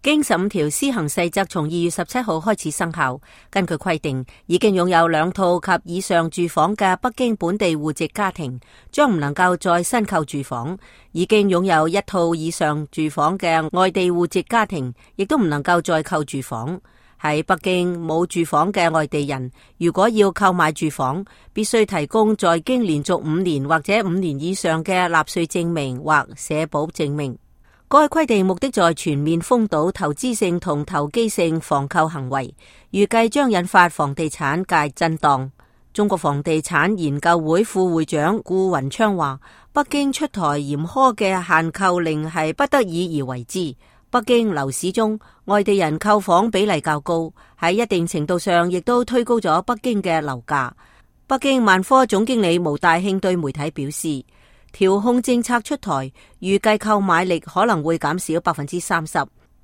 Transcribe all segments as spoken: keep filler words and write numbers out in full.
京十五條施行細則從二月十七號開始生效。根據規定，已經擁有兩套及以上住房嘅北京本地戶籍家庭，將唔能夠再新購住房；已經擁有一套以上住房嘅外地戶籍家庭，亦都唔能夠再購住房。喺北京冇住房嘅外地人，如果要購買住房，必須提供在京連續五年或者五年以上嘅納稅證明或社保證明。該規定目的在全面封堵投資性同投機性房購行為，預計將引發房地產界震盪。中國房地產研究會副會長顧雲昌話，北京出台嚴苛嘅限購令係不得已而為之。北京樓市中外地人購房比例較高，喺一定程度上亦都推高咗北京嘅樓價。北京萬科總經理毛大慶對媒體表示，調控政策出台，預計購買力可能會減少百分之三十。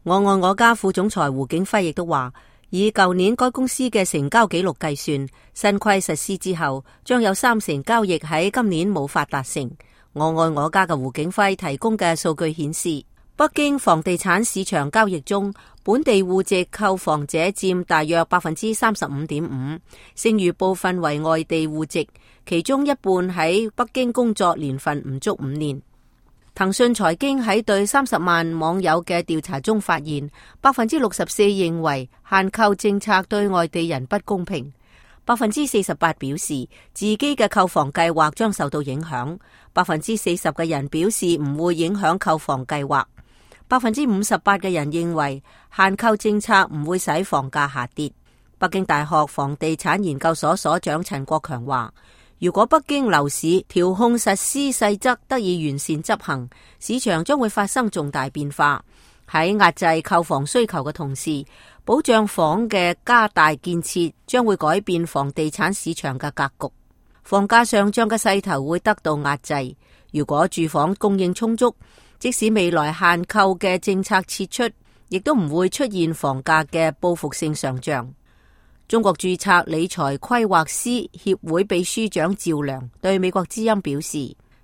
我愛我家副總裁胡景輝亦都話，以舊年該公司嘅成交紀錄計算，新規實施之後，將有三成交易喺今年冇法達成。我愛我家嘅胡景輝提供嘅數據顯示，北京房地產市場交易中，本地戶籍購房者佔大約百分之三十五點五，剩餘部分為外地戶籍，其中一半喺北京工作年份唔足五年。騰訊財經喺對三十萬網友嘅調查中發現，百分之六十四認為限購政策對外地人不公平，百分之四十八表示自己嘅購房計劃將受到影響，百分之四十嘅人表示唔會影響購房計劃。百分之五十八嘅人認為限購政策唔會使房價下跌。北京大學房地產研究所所長陳國強話，如果北京樓市調控實施細則得以完善執行，市場將會發生重大變化。喺壓制購房需求嘅同時，保障房嘅加大建設將會改變房地產市場嘅格局。房價上漲嘅勢頭會得到壓制。如果住房供應充足，即使未來限購嘅政策撤出，亦都唔會出現房價嘅報復性上漲。中國註冊理財規劃師協會秘書長趙良對美國之音表示，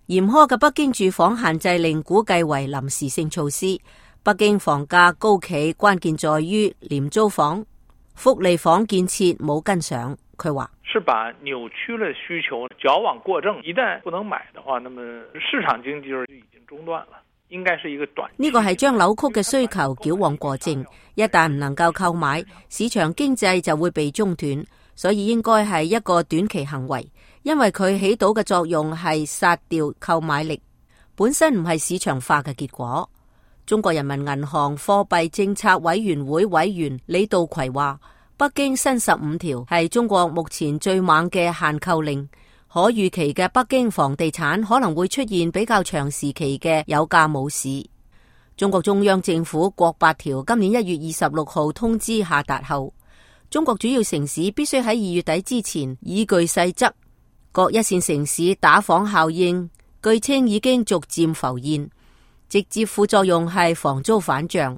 嚴苛嘅北京住房限制令估計為臨時性措施。北京房價高企，關鍵在於廉租房、福利房建設冇跟上。佢話是把扭曲了需求矯枉過正，一旦不能買的話，那麼市場經濟就已經中斷了。應該是一個短呢個係將扭曲嘅需求矯枉過正，一旦唔能夠購買，市場經濟就會被中斷，所以應該係一個短期行為，因為佢起到嘅作用係殺掉購買力，本身唔係市場化嘅結果。中國人民銀行貨幣政策委員會委員李道葵話，北京新十五條係中國目前最猛嘅限購令。可預期嘅北京房地產可能會出現比較長時期嘅有價冇市。中國中央政府國八條今年一月二十六號通知下達後，中國主要城市必須喺二月底之前依據細則。各一線城市打房效應據稱已經逐漸浮現，直接副作用係房租反漲。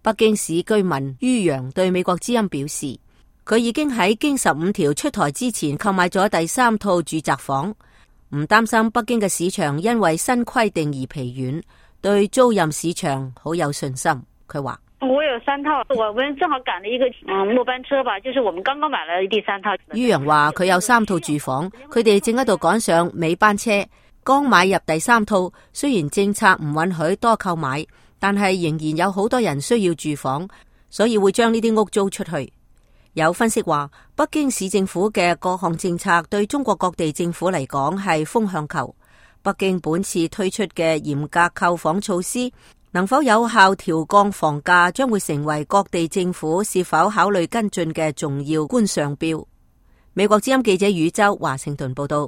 北京市居民于洋對美國之音表示，佢已經喺京十五條出台之前購買咗第三套住宅房，唔擔心北京嘅市場因為新規定而疲軟，對租賃市場好有信心。佢話：我有三套，我們正好趕了一個嗯末班車吧，就是我們剛剛買了第三套。于洋話佢有三套住房，佢哋正喺度趕上尾班車，剛買入第三套。雖然政策唔允許多購買，但係仍然有好多人需要住房，所以會將呢啲屋租出去。有分析話，北京市政府嘅各項政策對中國各地政府嚟講係風向球。北京本次推出嘅嚴格購房措施，能否有效調降房價，將會成為各地政府是否考慮跟進嘅重要觀賞標。美國之音記者宇宙華盛頓報道。